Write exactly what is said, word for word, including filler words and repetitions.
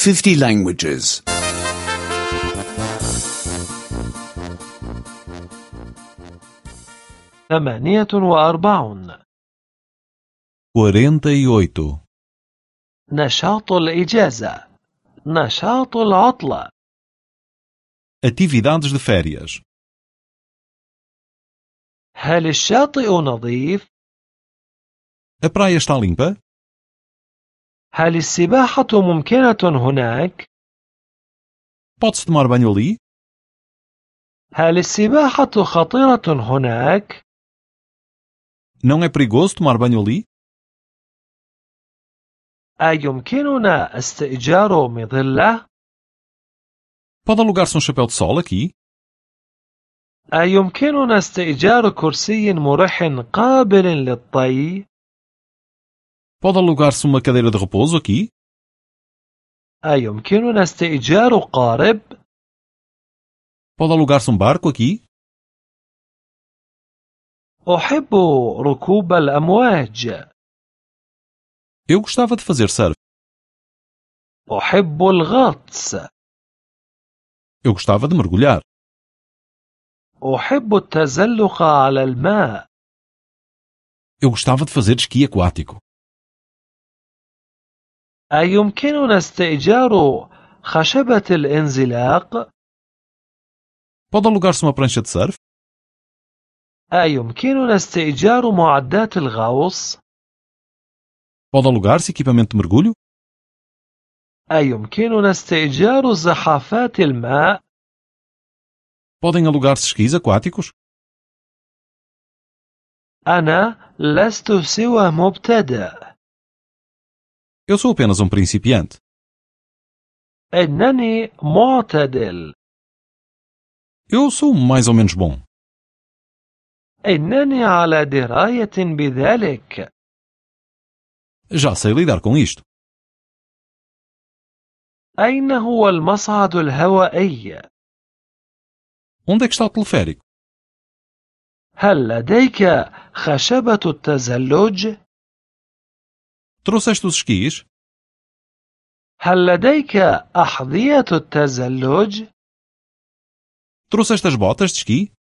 fifty languages. ثمانية وأربعون. quarenta e oito. نشاط الإجازة. نشاط العطلة. Atividades de férias. هل الشاطئ نظيف؟ A praia está limpa? هل السباحة ممكنة هناك؟ Pode-se tomar banho ali? هل السباحة خطيرة هناك؟ Não é perigoso tomar banho ali? أيمكننا استئجار مظلة؟ Pode alugar-se um chapéu de sol aqui? أيمكننا استئجار كرسي مريح قابل للطي؟ Pode alugar-se uma cadeira de repouso aqui? أيمكننا استئجار قارب؟ Pode alugar-se um barco aqui? أحب ركوب الأمواج. Eu gostava de fazer surf. أحب الغطس. Eu gostava de mergulhar. أحب التزلق على الماء. Eu gostava de fazer esqui aquático. أيمكننا استئجار خشبة الانزلاق؟ Pode alugar-se uma prancha de surf? أيمكننا استئجار معدات الغوص؟ Pode alugar-se equipamento de mergulho? أيمكننا استئجار زحافات الماء؟ Podem alugar-se esquis aquáticos? أنا لست سوى مبتدئ. Eu sou apenas um principiante. إنني معتدل. Eu sou mais ou menos bom. إنني على دراية بذلك. Já sei lidar com isto. أين هو المصعد الهوائي؟ Onde é que está o teleférico? هل لديك خشبة التزلج؟ Trouxeste os esquis? هل لديك أحذية التزلج؟ Trouxeste as botas de esqui?